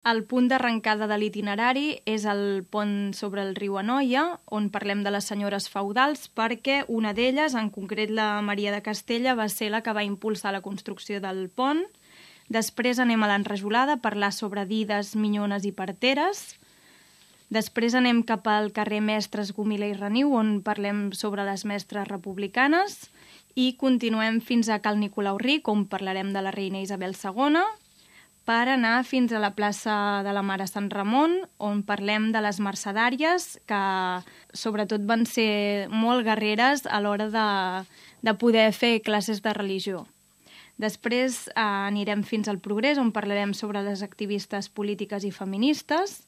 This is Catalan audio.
El punt d'arrencada de l'itinerari és el pont sobre el riu Anoia, on parlem de les senyores feudals, perquè una d'elles, en concret la Maria de Castella, va ser la que va impulsar la construcció del pont. Després anem a l'Enrajolada a parlar sobre dides, minyones i parteres. Després anem cap al carrer Mestres Gomila i Reniu, on parlem sobre les mestres republicanes. I continuem fins a Cal Nicolau Ric, on parlarem de la reina Isabel II, per anar fins a la plaça de la Mare Sant Ramon, on parlem de les mercedàries, que sobretot van ser molt guerreres a l'hora de poder fer classes de religió. Després anirem fins al Progrés, on parlarem sobre les activistes polítiques i feministes.